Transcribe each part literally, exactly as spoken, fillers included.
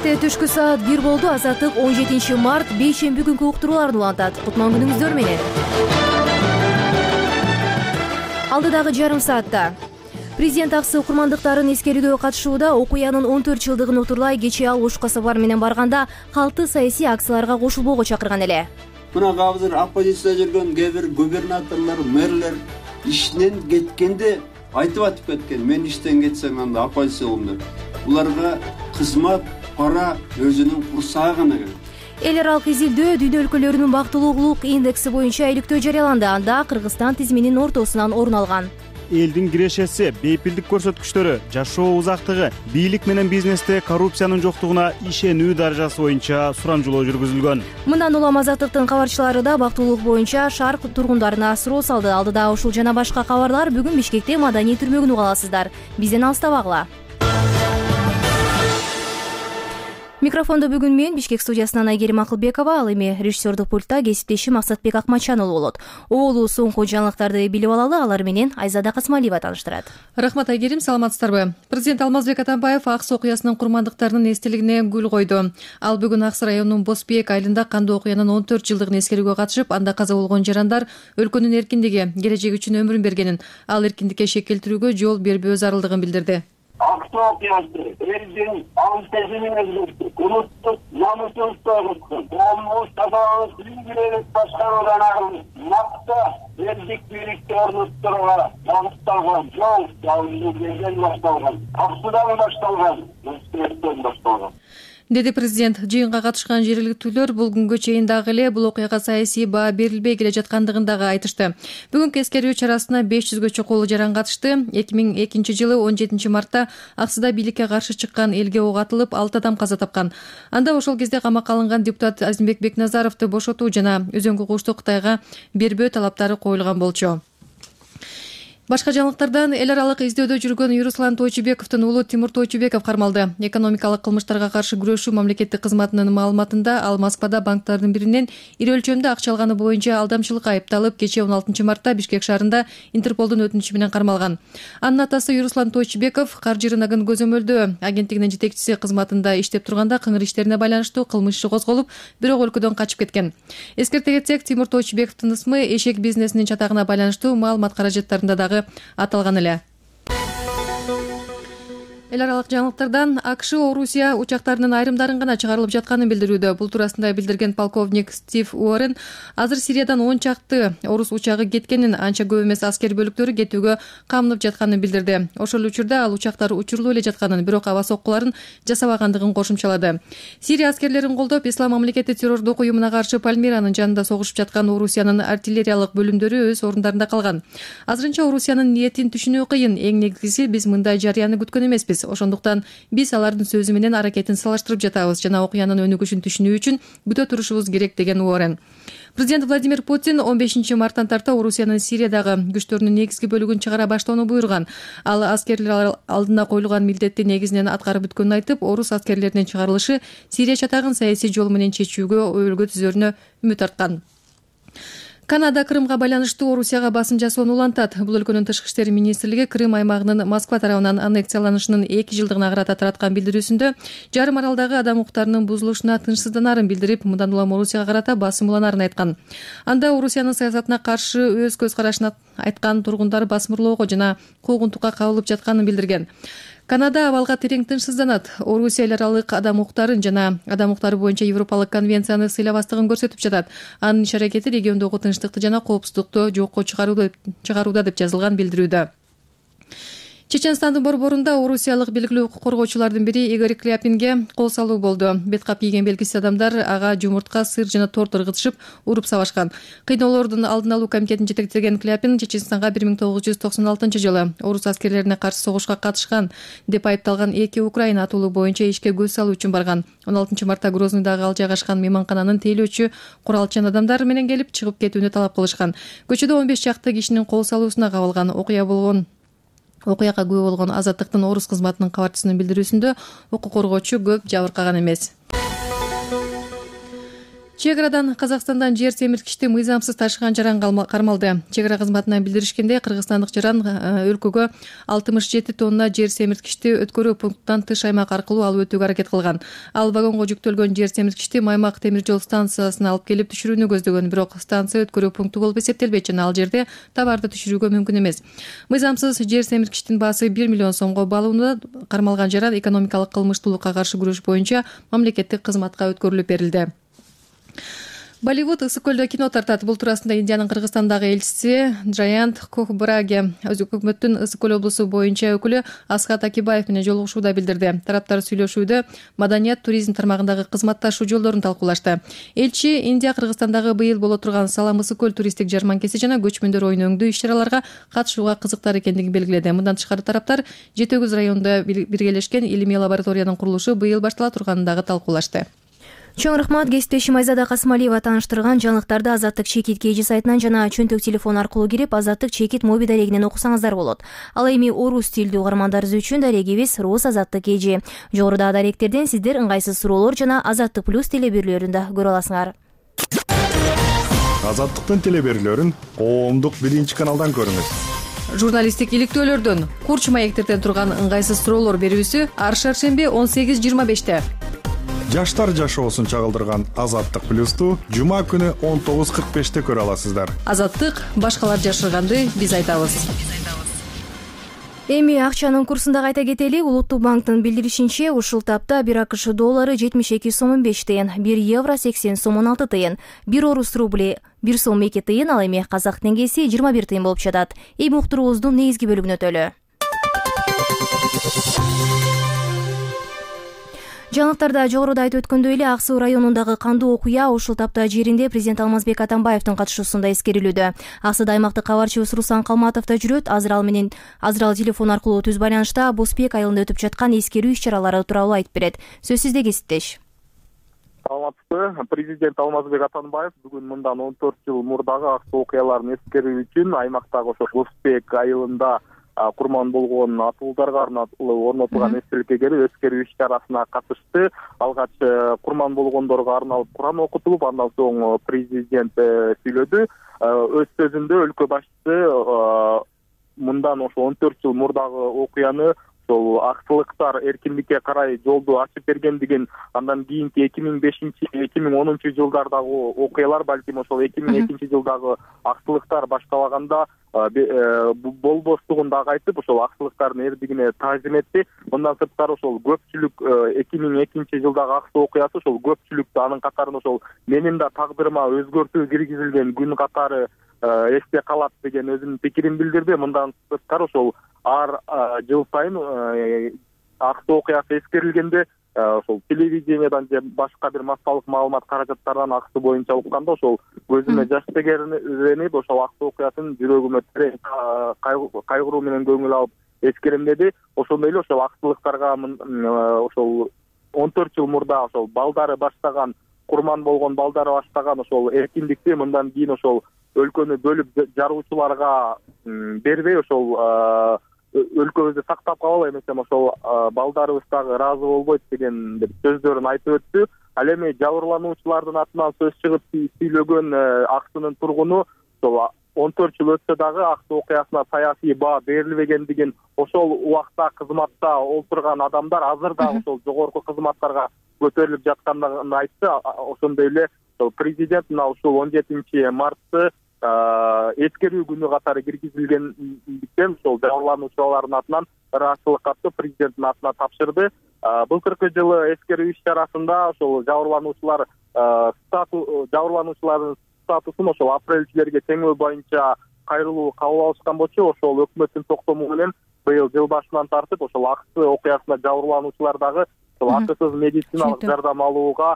Кенте түшкү саат бир болду. Азаттык он жетинчи март бейшемби күнкү уктурууларын улантат. Кутман күнүңүздөр менен. Алдыдагы жарым саатта президент аксы курмандыктарын эскерүүгө катышууда. Окуянын он төрт жылдыгын утурлай кечээ ал Ош касабар менен барганда калкты саясий акцияларга кошулбоого чакырган эле. Мына азыр оппозицияда жүргөн кээ бир губернаторлор, мэрлер иштен кеткенде айтып атып кеткен. Мен иштен кетсем анда оппозиция болом деп. Буларга кызмат, пара өзүнүн курсагы гана керек. Эл аралык изилдөө дүйнө өлкөлөрүнүн бактылуулук индекси боюнча иликтөө жарыяланды. Анда Кыргызстан тизиминин ортосунан орун алган. Элдин кирешеси, бейпилдик көрсөткүчтөрү, жашоо узактыгы, бийлик менен бизнесте коррупциянын жоктугуна ишенүү даражасы боюнча сурамжылоо жүргүзүлгөн. Мындан улам Азаттыктын кабарчылары да бактылуулук боюнча шаар тургундарына суроо салды. Алдыда ушул жана башка кабарлар бүгүн Бишкекте маданий түрмөгүн уга аласыздар. Бизден алыстабагыла. Микрофондо бүгүн мен Бишкек студиясынан Айгерим Акылбекова, ал эми режиссердик пультта кесиптешим Максатбек Акмачанұлы болот. Оолу соңку жаңылыктарды билип алалы, алар менен Айзада Касмалиева тааныштырат. Рахмат Айгерим, саламатсыздарбы? Президент Алмазбек Атамбаев Акс окуясынын курмандыктарынын эстелигине гүл койду. Ал бүгүн Акс районунун Босбек айылында кандуу окуянын он төрт жылдыгын эскерүүгө катышып, анда каза болгон жарандар өлкөнүн эркиндиги, келечеги үчүн өмүрүн бергенин, ал эркиндикке шек келтирүүгө жол бербөө зарылдыгын билдирди. Акс окуясы элдин ан-сезимин өзгөрттү. Улуттук намысыбызды огутту. Коомубуз тазалык ийгилик башкаруудан арылып, макта элдик бийликти орнотууга багытталган жол жабылуучу башталган. Аксудан башталган, Бишкектен башталган, деди президент. Жыйынга катышкан жергиликтүүлөр бул күнгө чейин дагы эле бул окуяга саясий баа берилбей келе жаткандыгын дагы айтышты. Бүгүнкү эскерүү чарасына беш жүзгө чукул жаран катышты. эки миң экинчи жылы он жетинчи мартта Аксыда бийликке каршы чыккан элге ок атылып, алты адам каза тапкан. Анда ошол кезде камакка алынган депутат Азимбек Бекназаровду бошотуу жана өзөңгү кушту Кытайга бербөө талаптары коюлган болчу. Башка жаңылыктардан эл аралык издөөдө жүргөн Юруслан Тойчубековдун уулу Тимур Тойчубеков кармалды. Экономикалык кылмыштарга каршы күрөшүү мамлекеттик кызматынын маалыматында ал Москвада банктардын биринен ири өлчөмдө акча алганы боюнча алдамчылыкка айыпталып, кечээ он алтынчы мартта Бишкек шаарында Интерполдун өтүнүчү менен кармалган. Анын атасы Юруслан Тойчубеков Каржы рыногун көзөмөлдөө агенттигинин жетекчиси кызматында иштеп турганда кыңыр иштерине байланыштуу кылмыш иши козголуп, бирок өлкөдөн качып кеткен. Эскерте кетсек, Тимур Тойчубековдун ысмы эшек бизнесинин чатагына байланыштуу маалымат каражаттарында дагы аталган эле. Эл аралык жаңылыктардан АКШ Орусия учактарынын айрымдарын гана чыгарылып жатканын билдирүүдө. Бул туурасында билдирген полковник Стив Уоррен азыр Сириядан он чакты орус учагы кеткенин, анча көп эмес аскер бөлүктөрү кетүүгө камынып жатканын билдирди. Ошол учурда ал учактар учурлуу эле жатканын, бирок аба соккуларын жасабагандыгын кошумчалады. Сирия аскерлерин колдоп, Ислам мамлекети террордук уюмуна каршы Пальмиранын жанында согушуп жаткан Орусиянын артиллериялык бөлүмдөрү өз орундарында калган. Азырынча Орусиянын ниетин түшүнүү кыйын. Эң негизгиси, биз мындай жарыяны күткөн эмеспиз. Ошондуктан биз алардын сөзү менен аракетин салыштырып жатабыз жана окуянын өнүгүшүн түшүнүү үчүн күтө турушубуз керек, деген Уоррен. Президент Владимир Путин он бешинчи марттан тарта Орусиянын Сириядагы күчтөрүнүн негизги бөлүгүн чыгара баштоону буйруган. Ал аскерлер алдына коюлган милдетти негизинен аткарып бүткөнүн айтып, орус аскерлеринин чыгарылышы Сирия чатагын саясий жол менен чечүүгө өбөлгө түзөрүнө үмүт арткан. Канада Крымга байланыштуу Орусияга басым жасоону улантат. Бул өлкөнүн тышкы иштер министрлиги Крым аймагынын Москва тарабынан аннексияланышынын эки жылдыгына карата тараткан билдирүүсүндө жарым аралдагы адам укуктарынын бузулушуна тынчсызданарын билдирип, мындан улам Орусияга карата басым уланарын айткан. Анда Орусиянын саясатына каршы өз көз карашын айткан тургундар басмырлоого жана куугунтукка кабылып жатканын билдирген. Канада абалга терең тынчсызданат. Орусия эл аралык адам укуктарын жана адам укуктары боюнча Европалык конвенцияны сыйлабастыгын көрсөтүп жатат. Анын иш-аракети региондогу тынчтыкты жана коопсуздукту жокко чыгарууда деп жазылган билдирүүдө. Чеченстандын борборунда орусиялык белгилүү укук коргоочулардын бири Игорь Кляпинге кол салуу болду. Бет кап кийген белгисиз адамдар ага жумуртка, сыр жана торт ыргытышып, уруп сабашкан. Кыйноолордун алдын алуу комитетин жетектеген Кляпин Чеченстанга бир миң тогуз жүз токсон алтынчы жылы орус аскерлерине каршы согушка катышкан деп айыпталган эки украин атуулу боюнча ишке көз салуу үчүн барган. он алтынчы мартта Грознойдагы ал жайгашкан мейманкананын тейлөөчү куралчан адамдар менен келип чыгып кетүүнү талап кылышкан. Көчөдө он беш чакты кишинин кол салуусуна кабылган. Окуя болгон Окуяга күбө болгон Азаттыктын орус кызматынын кабарчысынын билдирүүсүндө укук коргоочу көп жабыркаган эмес. Чек арадан Казакстандан жер семирткичти мыйзамсыз ташыган жаран кармалды. Чек ара кызматынан билдиришкенде, кыргызстандык жаран өлкөгө алтымыш жети тонна жер семирткичти өткөрүү пунктунан тыш аймак аркылуу алып өтүүгө аракет кылган. Ал вагонго жүктөлгөн жер семирткичти Маймак темир жол станциясына алып келип түшүрүүнү көздөгөн, бирок станция өткөрүү пункту болуп эсептелбейт жана ал жерде товарды түшүрүүгө мүмкүн эмес. Мыйзамсыз жер семирткичтин баасы бир миллион сомго баалуунда кармалган жаран экономикалык кылмыштуулукка каршы күрөш боюнча мамлекеттик кызматка өткөрүлүп берилди. Болливуд ысык көлдө кино тартат. Бул туурасында Индиянын Кыргызстандагы элчиси Джаянт Кохбраге өкмөттүн ысык көл облусу боюнча өкүлү Асхат Акибаев менен жолугушууда билдирди. Тараптар сүйлөшүүдө маданият, туризм тармагындагы кызматташуу жолдорун талкуулашты. Элчи Индия Кыргызстандагы быйыл боло турган Салам ысык көл туристтик жарманкеси жана көчмөндөр оюну өңдүү иш-чараларга катышууга кызыктар экендигин белгиледи. Мындан тышкары тараптар Жети Өгүз районунда биргелешкен илимий лабораториянын курулушу быйыл баштала турганын дагы талкуулашты. Чоң рахмат. Кесиптешим Айзада Касымалиева тааныштырган жаңылыктарды Азаттык чекит кей жи сайтынан жана чөнтөк телефон аркылуу кирип Азаттык чекит моби дарегинен окусаңыздар болот. Ал эми орус тилдүү угармандарыбыз үчүн дарегибиз Рус Азаттык кей жи. Жогорудагы даректерден сиздер ыңгайсыз суроолор жана Азаттык плюс телеберүүлөрүн да көрө аласыңар. Азаттыктын телеберүүлөрүн коомдук биринчи каналдан көрүңүз. Журналисттик иликтөөлөрдөн, курч маектерден турган ыңгайсыз суроолор берүүсү ар шаршемби он сегиз жыйырма беште. Жаштар жашоосун чагылдырган Азаттык плюсту жума күнү он тогуз кырк беште көрө аласыздар. Азаттык башкалар жашырганды биз айтабыз. Эми акчанын курсун да кайта кетели. Улуттук банктын билдиришинче, ушул тапта бир АКШ доллары жетимиш эки сом он беш тыйын, бир евро сексен сом он алты тыйын, бир орус рубли бир сом эки тыйын, ал эми казак теңгеси жыйырма бир тыйын болуп жатат. Эми уктуруубуздун негизги бөлүгүнө өтөлү. Жаңылыктарда жогоруда айтып өткөндөй эле Ак Суу районундагы кандуу окуя ушул тапта жеринде президент Алмазбек Атамбаевдин катышуусунда эскерилүүдө. Ак Сууда аймактык кабарчыбыз Руслан Калматов да жүрөт. Азыр ал менен азыр ал телефон аркылуу түз байланышта Бузбек айылында өтүп жаткан эскерүү иш-чаралары тууралуу айтып берет. Сөз сизде, кесиптеш. Саламатсызбы. Президент Алмазбек Атамбаев бүгүн мындан он төрт жыл мурдагы Ак Суу окуяларын эскерүү үчүн аймактагы ошо Бузбек айылында курман болгон атуулдарга арналуу орнотулган эстеликке келип эскерүү иш-чарасына катышты. Алгач курман болгондорго арналып Куран окутулуп, андан соң президент сүйлөдү. Өз сөзүндө өлкө башчысы мындан ошо он төрт жыл мурдагы окуяны ошол аксылыктар эркиндикке карай жолду ачып бергендигин, андан кийинки эки миң бешинчи эки миң онунчу жылдардагы окуялар, балким ошол эки миң экинчи жылдагы аксылыктар башталаганда болбостугун дагы айтып, ошол аксылыктардын эрдигине таазим этти. Мындан сырткары ошол көпчүлүк эки миң экинчи жылдагы Ак Суу окуясы ошол көпчүлүктү, анын катарында ошол менин да тагдырыма өзгөртүү киргизилген күн катары эсте калат деген өзүнүн пикирин билдирди. Мындан сырткары ошол ар жыл сайын Ак Суу окуясы эскерилгенде ошол телевидениядан же башка бир массалык маалымат каражаттарынан Ак Суу боюнча укканда ошол көзүмө жаш тегеренип, ошол Ак Суу окуясын жүрөгүмө терең кайгыруу менен көңүл алып эскерем деди. Ошондой эле ошол аксылыктарга ошол он төрт жыл мурда ошол балдары баштаган, курман болгон балдары баштаган ошол эркиндикти мындан кийин ошол өлкөнү бөлүп жаруучуларга бербей, ошол өлкөбүздү сактап калалы, эмесем ошол балдарыбыз дагы ыраазы болбойт деген сөздөрүн айтып өттү. Ал эми жабырлануучулардын атынан сөз чыгып сүйлөгөн Ак Суунун тургуну ошол он төрт жыл өтсө дагы Ак Суу окуясына саясий баа берилбегендигин, ошол убакта кызматта олтурган адамдар азыр да ошол жогорку кызматтарга көтөрүлүп жаткандыгын айтты. Ошондой эле президент мына ушул он жетинчи мартты эскерүү күнү катары киргизилгендиктен ошол жабырлануучулардын атынан ыраазычылык катты президенттин атына тапшырды. Былтыркы жылы эскерүү иш-чарасында ошол жабырлануучулар жабырлануучулардын статусун ошол апрелчилерге теңөө боюнча кайрылуу кабыл алышкан болчу. Ошол өкмөттүн токтому менен быйыл жыл башынан тартып ошол Ак Суу окуясына жабырлануучулар дагы ошол акысыз медициналык жардам алууга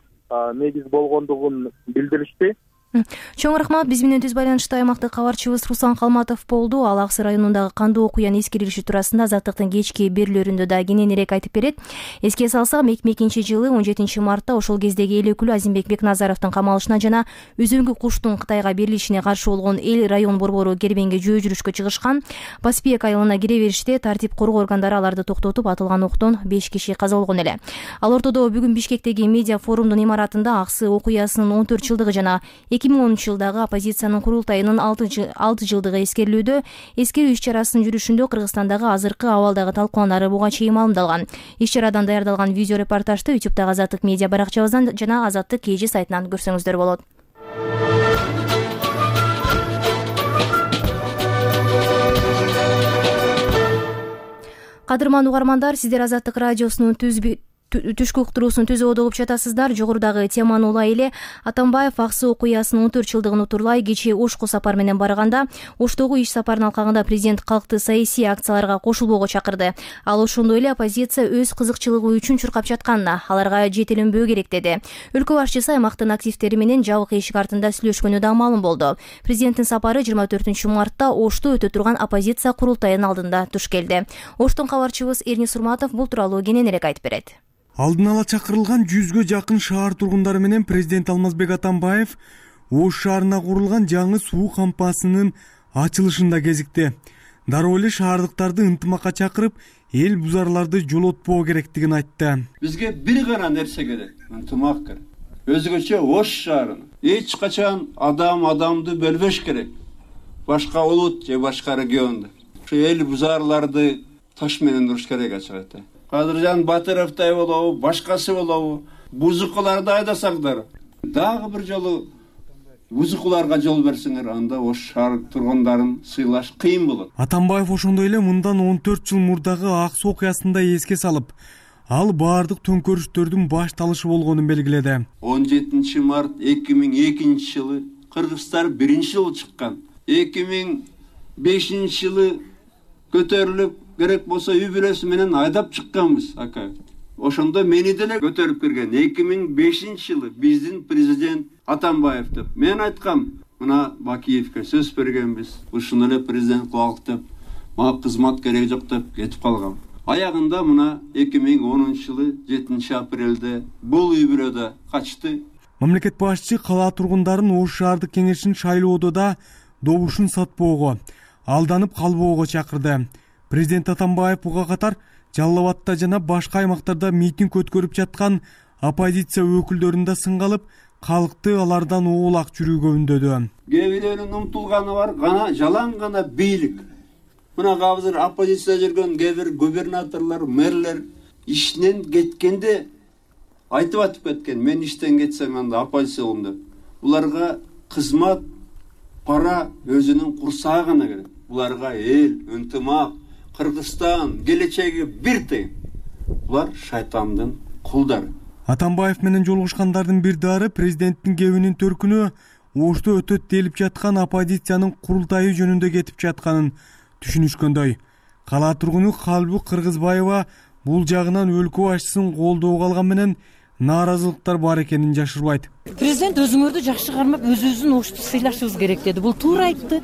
негиз болгондугун билдиришти. Чоң рахмат. Биз менен түз байланышта аймактык кабарчыбыз Руслан Калматов болду. Ал Ак Сыр районундагы кандуу окуяны эскерилиши туурасында Азаттыктын кечки берүүлөрүндө да кененирээк айтып берет. Эске салсак, эки миң экинчи жылы он жетинчи мартта ошол кездеги эл өкүлү Азимбек Бекназаровдун камалышына жана Үзөңгү куштун Кытайга берилишине каршы болгон эл район борбору кербенге жөө жүрүшкө чыгышкан. Баспек айылына кире бериште тартип коргоо органдары аларды токтотуп, атылган октон беш киши каза болгон эле. Ал ортодо бүгүн Бишкектеги медиа форумдун имаратында Ак Сыр окуясынын он төрт жылдыгы жана эки миң онунчу жылдагы оппозициянын курултайынын алты жылдыгы эскерилүүдө. Эскерүү иш-чарасынын жүрүшүндө Кыргызстандагы азыркы абалдагы талкууланары буга чейин маалымдалган. Иш-чарадан даярдалган видео репортажды ютубтагы Азаттык медиа баракчабыздан жана Азаттык кей жи сайтынан көрсөңүздөр болот. Кадырман угармандар, сиздер Азаттык радиосунун түшкү уктуруусун түзүп угуп жатасыздар. Жогорудагы теманы улай эле Атамбаев Ак Сыр окуясынын он төрт жылдыгын утурлай кечээ Ошко сапар менен барганда, Оштогу иш сапарынын алкагында президент калкты саясий акцияларга кошулбоого чакырды. Ал ошондой эле оппозиция өз кызыкчылыгы үчүн чуркап жатканына, аларга жетеленбөө керек деди. Өлкө башчысы аймактын активдери менен жабык эшик артында сүйлөшкөнү да маалым болду. Президенттин сапары жыйырма төртүнчү мартта Ошто өтө турган оппозиция курултайынын алдында туш келди. Оштон кабарчыбыз Эрни Сурматов бул тууралуу кененирээк айтып берет. Алдын ала чакырылган жүзгө жакын шаар тургундары менен президент Алмазбек Атамбаев Ош шаарына курулган жаңы суу кампасынын ачылышында кезикти. Дароо эле шаардыктарды ынтымакка чакырып, эл бузарларды жолотпоо керектигин айтты. Бизге бир гана нерсе керек, ынтымак керек. Өзгөчө Ош шаарын эч качан адам адамды бөлбөш керек. Башка улут же башка регионду. Ушу эл бузарларды таш менен уруш керек ачык. Кадыржан Батыровдай болобу, башкасы болобу, бузукуларды айдасаңдар, дагы бир жолу бузукуларга жол берсеңер, анда Ош шаар тургундарын сыйлаш кыйын болот. Атамбаев ошондой эле мындан он төрт жыл мурдагы Ак Суу окуясында эске салып, ал баардык төңкөрүштөрдүн башталышы болгонун белгиледи. он жетинчи март эки миң экинчи жылы кыргыздар биринчи жолу чыккан. эки миң бешинчи жылы көтөрүлүп, керек болсо үй бүлөсү менен айдап чыкканбыз, ака. Ошондо мени деле көтөрүп кирген. эки миң бешинчи жылы биздин президент Атамбаев деп. Мен айткам, мына Бакиевке сөз бергенбиз. Ушуну эле президент кылалык деп, мага кызмат керек жок деп кетип калгам. Аягында мына эки миң онунчу жылы жетинчи апрелде бул үй бүлөдө качты. Мамлекет башчысы кала тургундарын Ош шаардык кеңешин шайлоодо да добушун сатпоого, алданып калбоого чакырды. Президент Атамбаев буга катар Жалал Абадта жана башка аймактарда митинг өткөрүп жаткан оппозиция өкүлдөрүн да сынга алып, калкты алардан оолак жүрүүгө үндөдү. Кээ бирөөнүн умтулганы бар, гана жалаң гана бийлик. Мына азыр оппозицияда жүргөн кээ бир губернаторлор, мэрлер иштен кеткенде айтып атып кеткен, мен иштен кетсем анда оппозиция болом деп. Буларга кызмат, пара өзүнүн курсагы гана керек. Буларга эл, ынтымак, Кыргызстан келечеги бир тең. Булар шайтандын кулдары. Атамбаев менен жолугушкандардын бир дары президенттин кебинин төркүнү Ошто өтөт делип жаткан оппозициянын курултайы жөнүндө кетип жатканын түшүнүшкөндөй. Кала тургуну Калбук Кыргызбаева бул жагынан өлкө башчысын колдоого алган менен нааразылыктар бар экенин жашырбайт. Президент өзүңөрдү жакшы кармап, өзүбүздүн Ошту сыйлашыбыз керек деди. Бул туура айтты.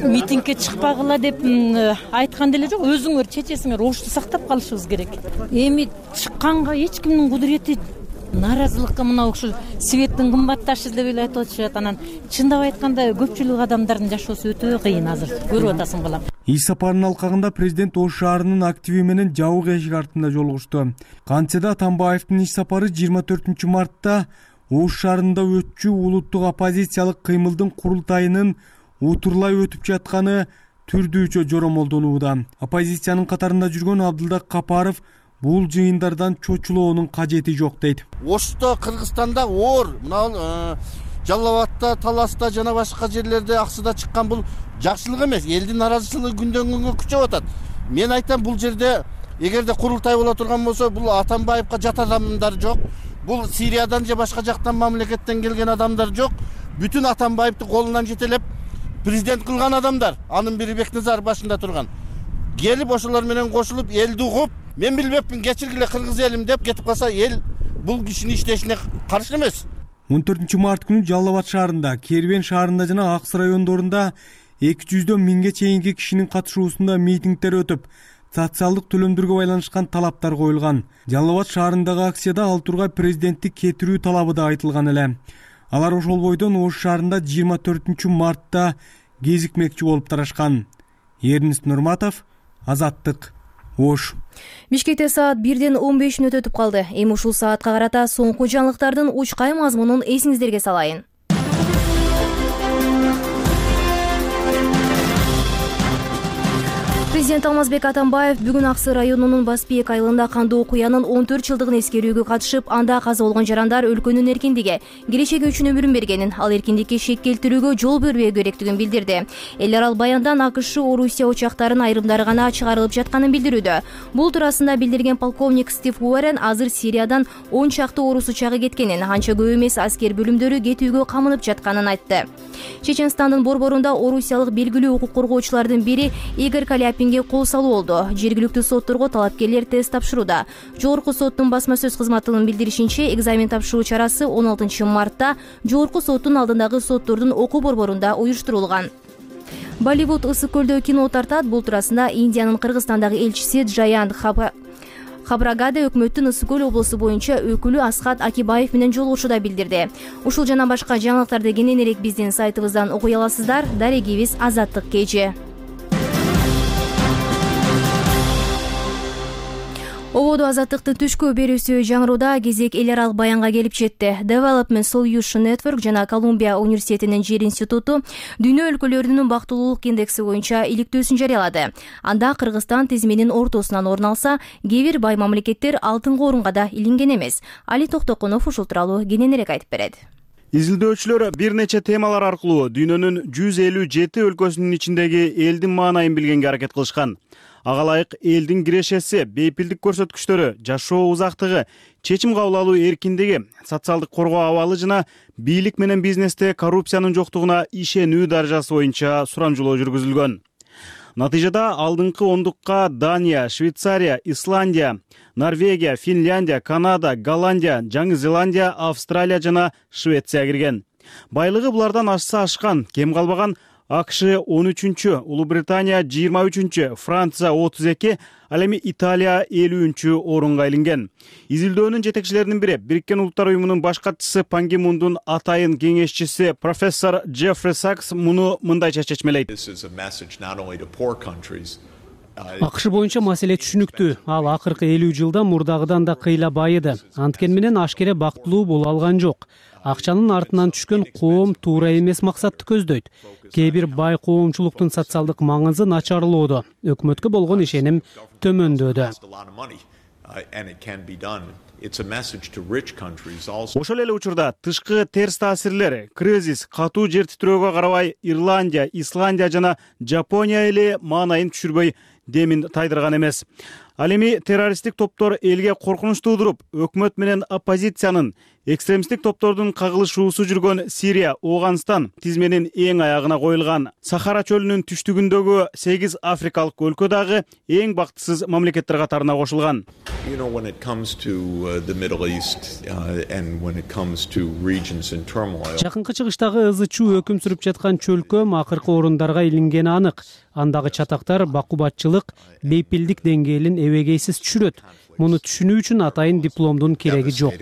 Митингге чыкпагыла деп айткан деле жок. Өзүңөр чечесиңер, Ошту сактап калышыбыз керек. Эми чыкканга эч кимдин кудурети нааразылыкка мына ушул светтин кымбатташы деп эле айтып атышат. Анан чындап айтканда көпчүлүк адамдардын жашоосу өтө кыйын азыр. Көрүп атасың балам. Иш сапарынын алкагында президент Ош шаарынын активи менен жабык эшик артында жолугушту. Кантсе да Атамбаевдин иш сапары жыйырма төртүнчү мартта Ош шаарында өтчү улуттук оппозициялык кыймылдын курултайынын утурлай өтүп жатканы түрдүүчө жоромолдонууда. Оппозициянын катарында жүргөн Абдылдак Капаров бул жыйындардан чочулоонун кажети жок дейт. Ошто Кыргызстанда оор, мына Жалал Абадта, Таласта жана башка жерлерде Аксыда чыккан бул жакшылык эмес. Элдин наразычылыгы күндөн күнгө күчөп атат. Мен айтам, бул жерде эгерде курултай боло турган болсо, бул Атамбаевка жат адамдар жок. Бул Сириядан же башка жактан мамлекеттен келген адамдар жок. Бүтүн Атамбаевди колунан жетелеп президент кылган адамдар. Анын бири Бекназаров башында турган. Келип ошолор менен кошулуп элди угуп, мен билбепмин, кечиргиле кыргыз элим деп кетип калса, эл бул кишинин иштешине каршы эмес. он төртүнчү март күнү Жалал Абад шаарында, Кербен шаарында жана Акс райондорунда эки жүздөн миңге чейинки кишинин катышуусунда митингдер өтүп, социалдык төлөмдөргө байланышкан талаптар коюлган. Жалал Абад шаарындагы акцияда ал тургай президенттик кетирүү талабы да айтылган эле. Алар ошол бойдон Ош шаарында жыйырма төртүнчү мартта кезикмекчи болуп тарашкан. Эрнест Нурматов, Азаттык, Ош. Бишкекте саат бирден он беш мүнөт өтүп калды. Эми ушул саатка карата соңку жаңылыктардын учкай мазмунун эсиңиздерге салайын. Президент Алмазбек Атамбаев бүгүн Аксы районунун Басбек айылында кандуу окуянын он төрт жылдыгын эскерүүгө катышып, анда каза болгон жарандар өлкөнүн эркиндиги, келечеги үчүн өмүрүн бергенин, ал эркиндикке шек келтирүүгө жол бербөө керектигин билдирди. Эл арал баяндан АКШ Орусия учактарынын айрымдары гана чыгарылып жатканын билдирүүдө. Бул туурасында билдирген полковник Стив Уоррен азыр Сириядан он чакты орус учагы кеткенин, анча көп эмес аскер бөлүмдөрү кетүүгө камынып жатканын айтты. Чеченстандын борборунда орусиялык белгилүү укук коргоочулардын бири Игорь Каляпинге кол салуу болду. Жергиликтүү сотторго талапкерлер тест тапшырууда. Жогорку соттун басма сөз кызматынын билдиришинче, экзамен тапшыруу чарасы он алтынчы мартта Жогорку соттун алдындагы соттордун окуу борборунда уюштурулган. Болливуд ысык көлдө кино тартат. Бул туурасында Индиянын Кыргызстандагы элчиси Джаян Хаба Хабрагаде өкмөттүн Ысык көл облусу боюнча өкүлү Асхат Акибаев менен жолугушууда билдирди. Ушул жана башка жаңылыктарды кененирээк биздин сайтыбыздан окуй аласыздар. Дарегибиз Азаттык кеже. Ободо Азаттыктын түшкү берүүсү жаңырууда кезек эл аралык баянга келип жетти. Development Solution Network жана Колумбия университетинин жер институту дүйнө өлкөлөрүнүн бактылуулук индекси боюнча иликтөөсүн жарыялады. Анда Кыргызстан тизменин ортосунан орун алса, кээ бир бай мамлекеттер алтынкы орунга да илинген эмес. Али Токтокунов ушул тууралуу кененирээк айтып берет. Изилдөөчүлөр бир нече темалар аркылуу дүйнөнүн жүз элүү жети өлкөсүнүн ичиндеги элдин маанайын билгенге аракет кылышкан. Ага ылайык элдин кирешеси, бейпилдик көрсөткүчтөрү, жашоо узактыгы, чечим кабыл алуу эркиндиги, социалдык коргоо абалы жана бийлик менен бизнесте коррупциянын жоктугуна ишенүү даражасы боюнча сурамжылоо жүргүзүлгөн. Натыйжада алдыңкы ондукка Дания, Швейцария, Исландия, Норвегия, Финляндия, Канада, Голландия, Жаңы Зеландия, Австралия жана Швеция кирген. Байлыгы булардан ашса ашкан, кем калбаган АКШ он үчүнчү, Улуу Британия жыйырма үчүнчү, Франция отуз эки, ал эми Италия элүүнчү орунга илинген. Изилдөөнүн жетекчилеринин бири Бириккен Улуттар уюмунун баш катчысы Пан Ги Мундун атайын кеңешчиси профессор Джеффри Сакс муну мындайча чечмелейт. АКШ боюнча маселе түшүнүктүү. Ал акыркы элүү жылда мурдагыдан да кыйла байыды. Анткени менен ашкере бактылуу боло алган жок. Акчанын артынан түшкөн коом туура эмес максатты көздөйт. Кээ бир бай коомчулуктун социалдык маңызы начарлоодо, өкмөткө болгон ишеним төмөндөөдө. Ошол эле учурда тышкы терс таасирлер, кризис, катуу жер титирөөгө карабай Ирландия, Исландия жана Жапония эле маанайын түшүрбөй демин тайдырган эмес. Ал эми террористтик топтор элге коркунуч туудуруп, өкмөт менен оппозициянын, экстремисттик топтордун кагылышуусу жүргөн Сирия, Ооганстан тизменин эң аягына коюлган. Сахара чөлүнүн түштүгүндөгү сегиз африкалык өлкө дагы эң бактысыз мамлекеттер катарына кошулган. Жакынкы чыгыштагы ызы чуу өкүм сүрүп жаткан чөлкөм акыркы орундарга илингени анык. Андагы чатактар бакубатчылык, бейпилдик деңгээлин эбегейсиз түшүрөт. Муну түшүнүү үчүн атайын дипломдун кереги жок.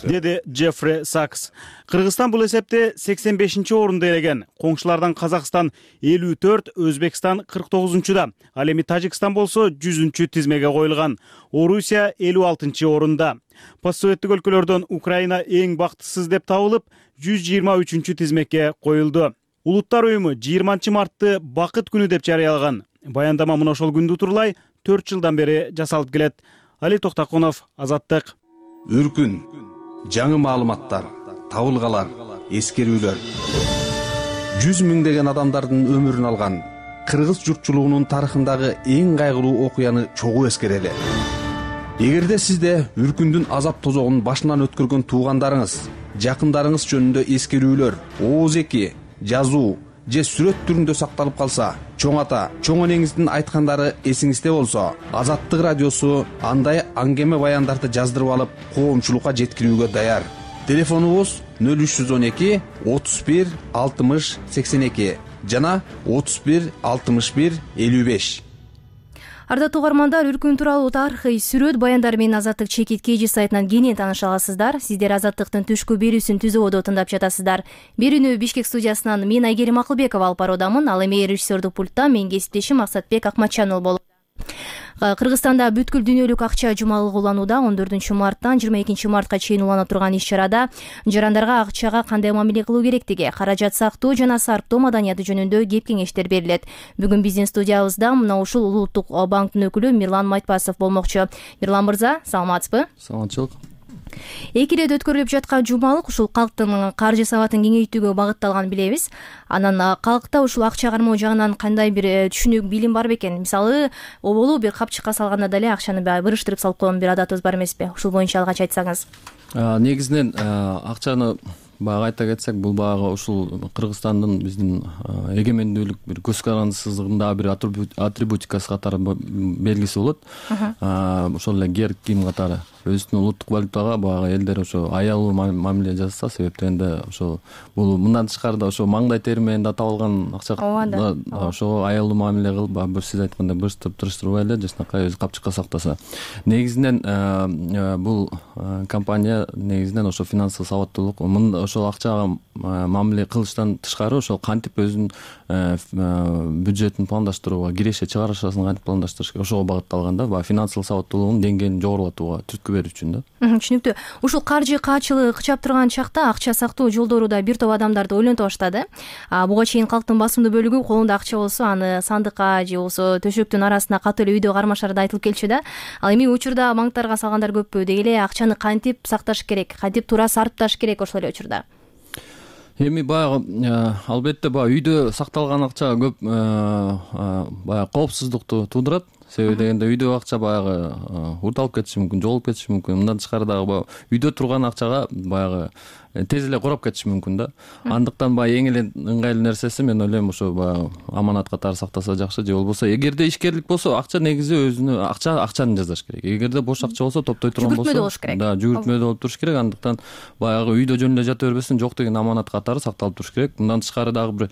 Деди Джеффри Сакс. Кыргызстан бул эсепте сексен бешинчи орунда элеген. Коңшулардан Казакстан элүү төрт, Өзбекстан кырк тогузунчуда. Ал эми Тажикстан болсо жүзүнчү тизмеге коюлган. Орусия элүү алтынчы орунда. Постсоветтик өлкөлөрдөн Украина эң бактысыз деп табылып, жүз жыйырма үчүнчү тизмекке коюлду. Улуттар уюму жыйырманчы мартты бакыт күнү деп жарыялаган. Баяндама мына ошол күндү турлай төрт жылдан бери жасалып келет. Али Токтокунов, Азаттык. Үркүн, жаңы маалыматтар, табылгалар, эскерүүлөр. жүз миңдеген адамдардын өмүрүн алган кыргыз журтчулугунун тарыхындагы эң кайгылуу окуяны чогуу эскерели. Эгерде сизде үркүндүн азап тозогун башынан өткөргөн туугандарыңыз, жакындарыңыз жөнүндө эскерүүлөр, ооз эки, жазуу, же сүрөт түрүндө сакталып калса, чоң ата, чоң энеңиздин айткандары эсиңизде болсо, Азаттык радиосу андай аңгеме баяндарды жаздырып алып, коомчулукка жеткирүүгө даяр. Телефонубуз нөл үч жүз он эки отуз бир алтымыш сексен эки жана отуз бир алтымыш бир элүү беш. Ардаттуу угармандар, үркүн тууралуу тарыхый сүрөт баяндар менен Азаттык чекит кей жи сайтынан кенен тааныша аласыздар. Сиздер Азаттыктын түшкү берүүсүн түзүүдө тыңдап жатасыздар. Берүүнү Бишкек студиясынан мен Айгерим Акылбекова алып баруудамын. Ал эми режиссердук пультта менин кесиптешим Максатбек Акматчанов болот. Кыргызстанда бүткүл дүйнөлүк акча жумалыгы уланууда. он төртүнчү марттан жыйырма экинчи мартка чейин улана турган иш-чарада жарандарга акчага кандай мамиле кылуу керектиги, каражат сактоо жана сарптоо маданияты жөнүндө кеп кеңештер берилет. Бүгүн биздин студиябызда мына ушул Улуттук банктын өкүлү Мирлан Майтпасов болмокчу. Мирлан мырза, саламатсызбы? Саламатчылык. Эки ирет өткөрүлүп жаткан жумалык ушул калктын каржы сабатын кеңейтүүгө багытталган билебиз. Анан калкта ушул акча кармоо жагынан кандай бир түшүнүк, билим бар бекен? Мисалы, оболу бир капчыкка салганда деле акчаны бырыштырып салып койгон бир адатыбыз бар эмеспи? Ушул боюнча алгач айтсаңыз. Негизинен акчаны баягы айта кетсек, бул баягы ушул Кыргызстандын биздин эгемендүүлүк бир көз карандысыздыгында бир атрибутикасы катары белгиси болот. Ошол эле герб кийим катары өзүнүн улуттук валютага баягы элдер ошо аялуу мамиле жасаса, себептен ошо бул мындан тышкары да ошо маңдай тери менен да табылган акча, ошого аялуу мамиле кылып, баягы сиз айткандай бырыштырып тырыштырбай эле жакшынакай өзү капчыкка сактаса. Негизинен бул компания негизинен ошо финансылык сабаттуулук, ошол акчага мамиле кылыштан тышкары ошол кантип өзүнүн бюджетин пландаштырууга, киреше чыгарышасын кантип пландаштырыш керек, ошого багытталган да, баягы финансылык сабаттуулугунун деңгээлин жогорулатууга, түрткү берүү үчүн да. Түшүнүктүү. Ушул каржы каачылыгы кычап турган чакта акча сактоо жолдору да бир топ адамдарды ойлонто баштады. Буга чейин калктын басымдуу бөлүгү колунда акча болсо, аны сандыкка же болбосо төшөктүн арасына катуу эле үйдө кармашары да айтылып келчү да. Ал эми учурда банктарга салгандар көппү, деги эле акчаны кантип сакташ керек, кантип туура сарпташ керек ошол эле учурда. Эми баягы албетте баягы үйдө сакталган акча көп баягы коопсуздукту туудурат. Себеби дегенде үйдө акча баягы урталып кетиши мүмкүн, жоголуп кетиши мүмкүн. Мындан тышкары дагы баягы үйдө турган акчага баягы тез эле курап кетиши мүмкүн да. Андыктан баягы эң эле ыңгайлуу нерсеси мен ойлойм ошо баягы аманат катары сактаса жакшы, же болбосо эгерде ишкерлик болсо акча негизи өзүнө акча акчаны жасаш керек. Эгерде бош акча болсо, топтой турган болсо, жүгүртмөдө болуш керек. Да, жүгүртмөдө болуп туруш керек. Андыктан баягы үйдө жөн эле жата бербестен, жок деген аманат катары сакталып туруш керек. Мындан тышкары дагы бир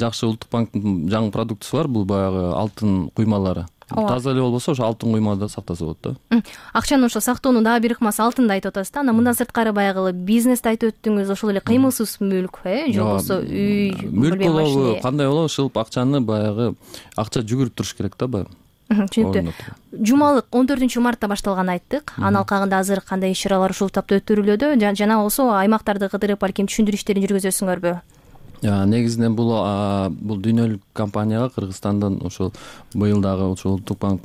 жакшы Улуттук банктын жаңы продуктусу бар, бул баягы алтын куймалары. Таза эле болбосо ошо алтын куймада сактаса болот да. Акчаны ошо сактоонун дагы бир ыкмасы алтында айтып атасыз да. Анан мындан сырткары баягы бизнести айтып өттүңүз, ошол эле кыймылсыз мүлк, э, же болбосо үй, мүлк болобу, кандай болобу, ушул акчаны баягы акча жүгүрүп туруш керек да баягы. Түшүнүктүү. Жумалык он төртүнчү мартта башталганын айттык. Анын алкагында азыр кандай иш-чаралар ушул тапта өткөрүлүүдө жана болсо аймактарды кыдырып балким түшүндүрүү иштерин жүргүзөсүңөрбү? Негизинен бул бул дүйнөлүк компанияга Кыргызстандан ошол быйыл дагы ошол Улуттук банк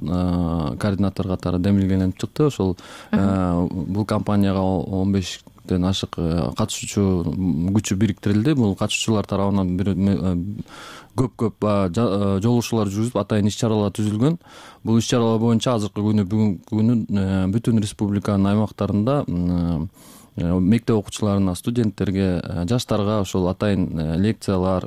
координатор катары демилгеленип чыкты. Ошол бул компанияга он бештен ашык катышуучу күчү бириктирилди. Бул катышуучулар тарабынан көп-көп жолугушуулар жүргүзүп, атайын иш-чаралар түзүлгөн. Бул иш-чаралар боюнча азыркы күнү бүгүнкү күнү бүтүн республиканын аймактарында мектеп окуучуларына, студенттерге, жаштарга ошол атайын лекциялар,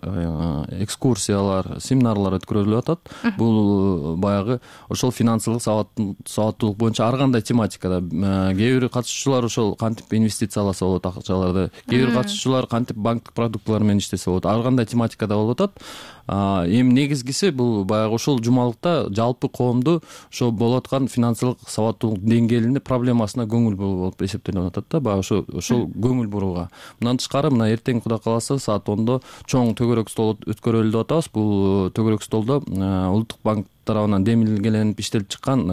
экскурсиялар, семинарлар өткөрүлүп атат. Бул баягы ошол финансылык сабаттуулук боюнча ар кандай тематикада. Кээ бир катышуучулар ошол кантип инвестицияласа болот акчаларды, кээ бир катышуучулар кантип банктык продуктылар менен иштесе болот, ар кандай тематикада болуп атат. Эми негизгиси бул баягы ошол жумалыкта жалпы коомду ошо болуп аткан финансылык сабаттуулук деңгээлине, проблемасына көңүл буруу болуп эсептелип атат да. Баягы ошо ошол көңүл бурууга. Мындан тышкары мына эртең Кудай кааласа саат ондо чоң төгөрөк стол өткөрөлү деп атабыз. Бул төгөрөк столдо Улуттук банк тарабынан демилгеленип иштелип чыккан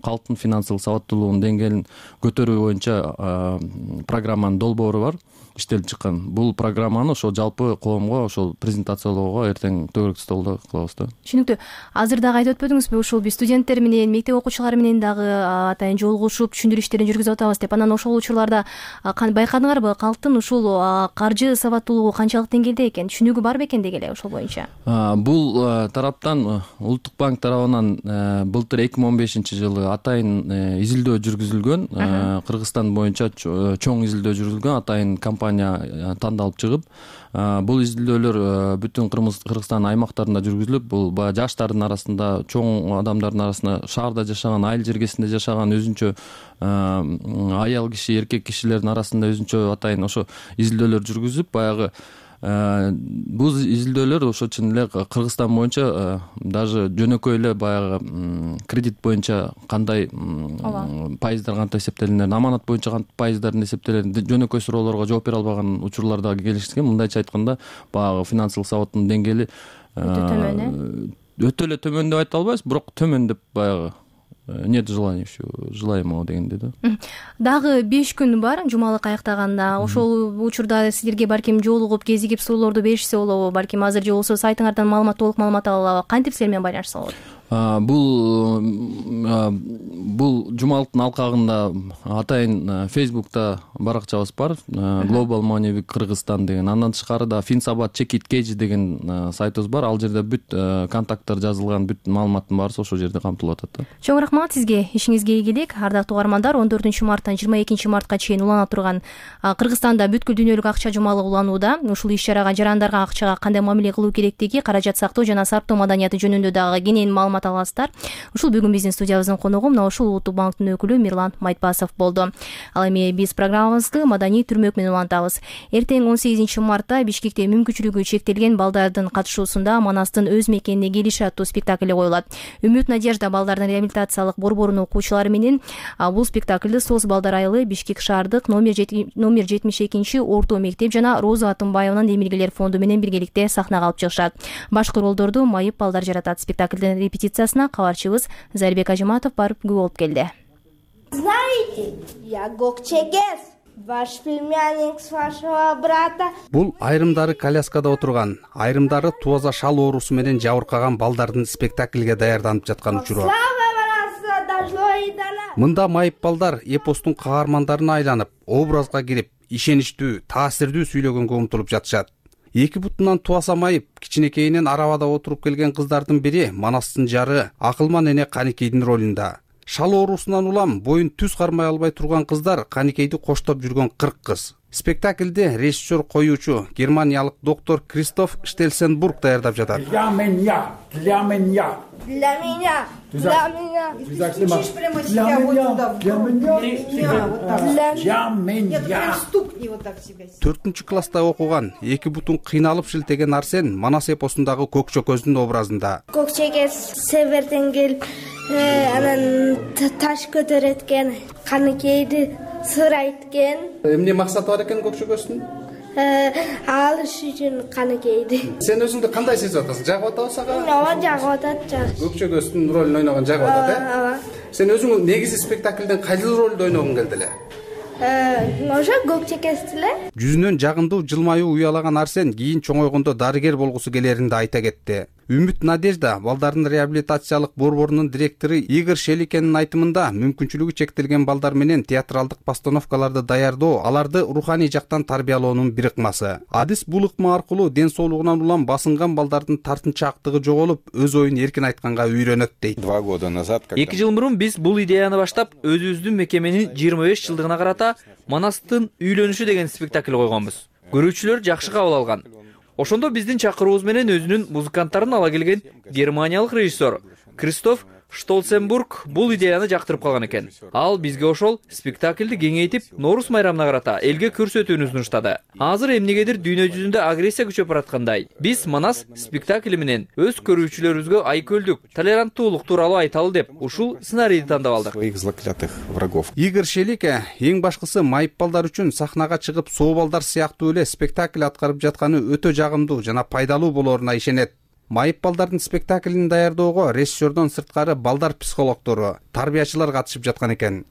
калктын финансылык сабаттуулугунун деңгээлин көтөрүү боюнча программанын долбоору бар, иштелип чыккан. Бул программаны ошол жалпы коомго ошол презентациялоого эртең төгөрөк столдо кылабыз да. Түшүнүктүү. Азыр дагы айтып өтпөдүңүзбү, ушул биз студенттер менен, мектеп окуучулары менен дагы атайын жолугушуп түшүндүрүү иштерин жүргүзүп атабыз деп. Анан ошол учурларда байкадыңарбы, калктын ушул каржы сабаттуулугу канчалык деңгээлде экен, түшүнүгү бар бекен деги эле ошол боюнча? Бул тараптан Улуттук банк банк тарабынан былтыр эки миң он бешинчи жылы атайын изилдөө жүргүзүлгөн. Кыргызстан боюнча чоң изилдөө жүргүзүлгөн, атайын компания тандалып чыгып, бул изилдөөлөр бүтүн Кыргызстан аймактарында жүргүзүлүп, бул баягы жаштардын арасында, чоң адамдардын арасында, шаарда жашаган, айыл жергесинде жашаган өзүнчө аял киши, эркек кишилердин арасында өзүнчө атайын ошо изилдөөлөр жүргүзүп, баягы бул изилдөөлөр ошо чын эле Кыргызстан боюнча даже жөнөкөй эле баягы кредит боюнча кандай пайыздар кантип эсептелинер, аманат боюнча кантип пайыздарын эсептелер, жөнөкөй суроолорго жооп бере албаган учурлар дагы келишкен. Мындайча айтканда, баягы финансылык сабаттын деңгээли өтө төмөн, э? Өтө эле төмөн деп айта албайбыз, бирок төмөн деп баягы нет желания желаемого дегенде да. Дагы беш күн бар жумалык аяктаганда. Ошол учурда силерге балким жолугуп, кезигип суроолорду беришсе болобу? Балким азыр же болбосо сайтыңардан маалымат, толук маалымат ала алабы? Кантип силер менен байланышса болот? Бул бул жумалыктын алкагында атайын Facebook'та баракчабыз бар, Global Money Week Кыргызстан деген. Андан тышкары да Finsabat Check It Cage деген сайтыбыз бар. Ал жерде бүт контакттар жазылган, бүт маалыматтын баары ошол жерде камтылып атат. Чоң рахмат сизге. Ишиңизге ийгилик. Ардактуу угармандар, он төртүнчү марттан жыйырма экинчи мартка чейин улана турган Кыргызстанда бүткүл дүйнөлүк акча жумалыгы уланууда. Ушул иш-чарага жарандарга акчага кандай мамиле кылуу керектиги, каражат сактоо жана сарптоо маданияты жөнүндө дагы кенен маалымат аласыздар. Ушул бүгүн биздин студиябыздын коногу мына ушул Улуттук банктын өкүлү Мирлан Майтбасов болду. Ал эми биз программабызды маданий түрмөк менен улантабыз. Эртең он сегизинчи мартта Бишкекте мүмкүнчүлүгү чектелген балдардын катышуусунда Манастын өз мекенине келиши аттуу спектакль коюлат. Үмүт Надежда балдардын реабилитациялык борборунун окуучулары менен бул спектакльды Соз балдар айылы, Бишкек шаардык номер жетимиш экинчи орто мектеп жана Роза Атымбаеванын Эмилгелер фонду менен биргеликте сахнага алып чыгышат. Башкы ролдорду майып балдар жаратат. Спектаклдын репетициясына кабарчыбыз Зарбек Ажыматов барып күбө болуп келди. Знаете, я Гокчегес, ваш племянник с вашего брата. Бул айрымдары коляскада отурган, айрымдары туаза шал оорусу менен жабыркаган балдардын спектакльге даярданып жаткан учуру. Мында майып балдар эпостун каармандарына айланып, образга кирип, ишеничтүү, таасирдүү сүйлөгөнгө умтулуп жатышат. Эки бутунан туаса майып, кичинекейинен арабада отуруп келген кыздардын бири Манастын жары Акылман эне Каникейдин ролунда. Шал оорусунан улам боюн түз кармай албай турган кыздар Каникейди коштоп жүргөн кырк кыз. Спектакльде режиссер коюучу германиялык доктор Кристоф Штельсенбург даярдап жатат. Для меня, для меня. Для меня, для меня. Стучишь прямо себя вот туда. Для меня, для меня. Нет, стукни вот так себя. төртүнчү класста окуган, эки бутун кыйналып шилтеген Арсен Манас эпосундагы Көкчөкөздүн образында. Көкчөгөз северден келип, анан таш көтөрөткен, Каникейди сыр айткен. Эмне максаты бар экен Көкчөкөздүн? Алыш үчүн Каникейди. Сен өзүңдү кандай сезип атасың? Жагып атабы сага? Ооба, жагып атат, жакшы. Көкчөкөздүн ролун ойногон жагып атат, э? Ооба. Сен өзүң негизи спектакльден кайсыл ролду ойногуң келди эле? Ошо Көкчөкөз эле. Жүзүнөн жагымдуу жылмаюу уялаган Арсен кийин чоңойгондо дарыгер болгусу келерин да айта кетти. Үмүт Надежда балдардын реабилитациялык борборунун директору Игорь Шеликенин айтымында мүмкүнчүлүгү чектелген балдар менен театралдык постановкаларды даярдоо, аларды руханий жактан тарбиялоонун бир ыкмасы. Адис бул ыкма аркылуу ден соолугунан улам басынган балдардын тартынчаактыгы жоголуп, өз оюн эркин айтканга үйрөнөт дейт. Два года назад эки жыл мурун биз бул идеяны баштап, өзүбүздүн мекеменин жыйырма беш жылдыгына карата Манастын үйлөнүшү деген спектакль койгонбуз. Көрүүчүлөр жакшы кабыл алган. Ошондо биздин чакыруубуз менен өзүнүн музыканттарын ала келген германиялык режиссер Кристоф Штольценбург бул идеяны жактырып калган экен. Ал бизге ошол спектакльди кеңейтип, Норус майрамына карата элге көрсөтүүнү сунуштады. Азыр эмнегедир дүйнө жүзүндө агрессия күчөп бараткандай, биз Манас спектакли менен өз көрүүчүлөрүбүзгө айкөлдүк, толеранттуулук тууралуу айталы деп ушул сценарийди тандап алдык. Своих заклятых врагов. Игорь Шелике эң башкысы майып балдар үчүн сахнага чыгып, соо балдар сыяктуу эле спектакль аткарып жатканы өтө жагымдуу жана пайдалуу болоруна ишенет. Майып балдардын спектаклин даярдоого режиссердон сырткары балдар психологдору, тарбиячылар катышып жаткан экен.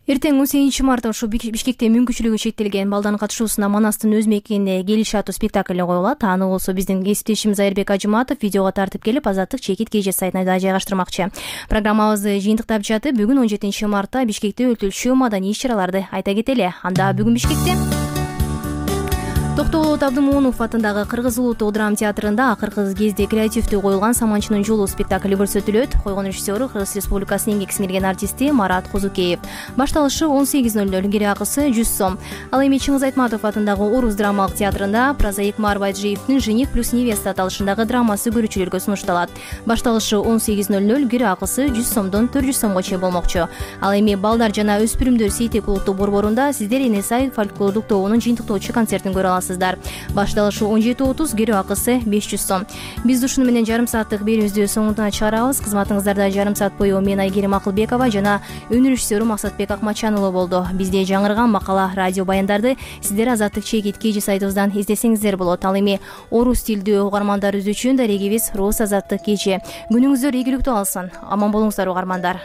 Эртең он сегизинчи мартта ушу Бишкекте мүмкүнчүлүгү чектелген балдардын катышуусунда Манастын өз мекенине келиши аттуу спектакль коюлат. Аны болсо биздин кесиптешибиз Зарбек Ажыматов видеого тартып келип, Азаттык Чекит Кеже сайтына да жайгаштырмакчы. Программабызды жыйынтыктап жатып, бүгүн он жетинчи мартта Бишкекте өтүлчү маданий иш-чараларды айта кетели. Анда бүгүн Бишкекте Токтогулот Абдымоунов атындагы Кыргыз улуттук драма театрында акыркы кезде креативдүү коюлган Саманчынын жолу спектакли көрсөтүлөт. Койгон режиссеру Кыргыз Республикасынын еңбек сиңирген артисти Марат Козукеев. Башталышы он сегиз ноль ноль, кире акысы жүз сом. Ал эми Чыңгыз Айтматов атындагы Орус драмалык театрында прозаик Маарып Байджиевдин Жених плюс невеста аталышындагы драмасы көрүүчүлөргө сунушталат. Башталышы он сегиз ноль ноль, кире акысы жүз сомдон төрт жүз сомго чейин болмокчу. Ал эми балдар жана өспүрүмдөр Сейтек улуттук борборунда сиздер Эне Сай фольклордук тобунун жыйынтыктоочу концертин көрө аласыздар. Башталышы он жети отуз, кире акысы беш жүз сом. Биз ушуну менен жарым сааттык берүүбүздү соңуна чыгарабыз. Кызматыңыздарда жарым саат бою мен Айгерим Акылбекова жана өнөр режиссеру Максатбек Акматчан уулу болду. Бизде жаңырган макала, радио баяндарды сиздер Азаттык чекит kg сайтыбыздан издесеңиздер болот. Ал эми орус тилдүү угармандарыбыз үчүн дарегибиз Рус Азаттык kg. Күнүңүздөр ийгиликтүү алсын. Аман болуңуздар угармандар.